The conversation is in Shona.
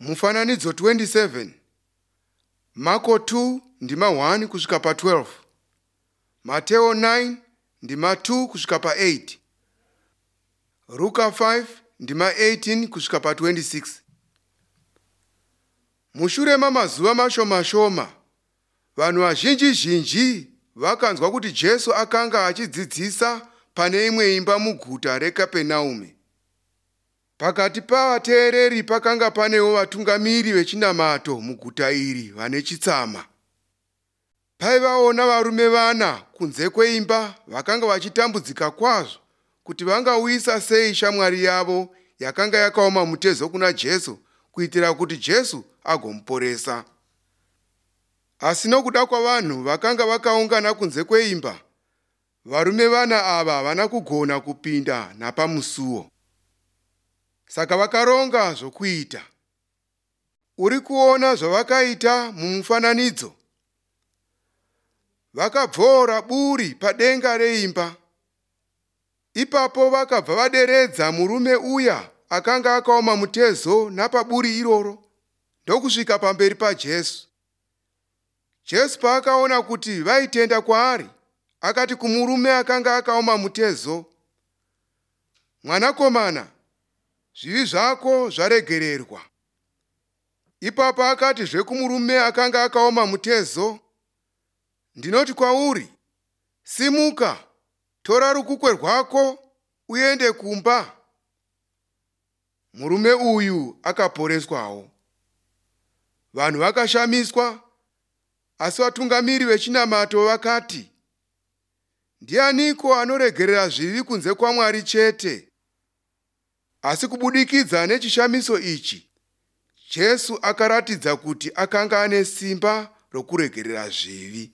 Mufananidzo 27, Marko 2 ndima 1 kusvika pa 12, Mateo 9 ndima 2 kusvika pa 8, Ruka 5 ndima 18 kusvika pa 26. Mushure mamazuva mashoma shoma, vanhu vazhinji zhinji vakanzwa kuti Jesu akanga achidzidzisa pane imwe imba muguta reKapenaume. Pakati pavateereri pakanga panewo vatungamiri vechinamato muguta iri vane chitsama. Paivawo navarume vana kunze kweimba vakanga vachitambudzika kwazvo kuti vangauyisa sei shamwari yavo yakanga yakaoma mutezo kuna Jesu kuitira kuti Jesu agomuporesa. Asi nokuda kwavanhu vakanga vakaungana kunze kweimba, varume vana ava havana kugona kupinda napamusuo. Saka vakaronga zvokuita. Uri kuona zvavakaita mumufananidzo? Vakabvoora buri padenga reimba. Ipapo vakabva vaderedza murume uya akanga akaoma mutezo napaburi iroro ndokusvika pamberi paJesu. Jesu paakaona kuti vaitenda kwaari, akati kumurume akanga akaoma mutezo, "Mwanakomana, zvivi zvako zvaregererwa." Ipapo akatizve kumurume akanga akaoma mutezo, "Ndinoti kwauri, simuka, tora rukukwe rwako uende kumba." Murume uyu akaporeswawo. Vanhu vakashamiswa, asi vatungamiri vechinamato vakati, "Ndianiko anoregerera zvivi kunze kwaMwari chete?" Asi kubudikidza nechishamiso ichi, Jesu akaratidza kuti akanga ane simba rokuregerera zvivi.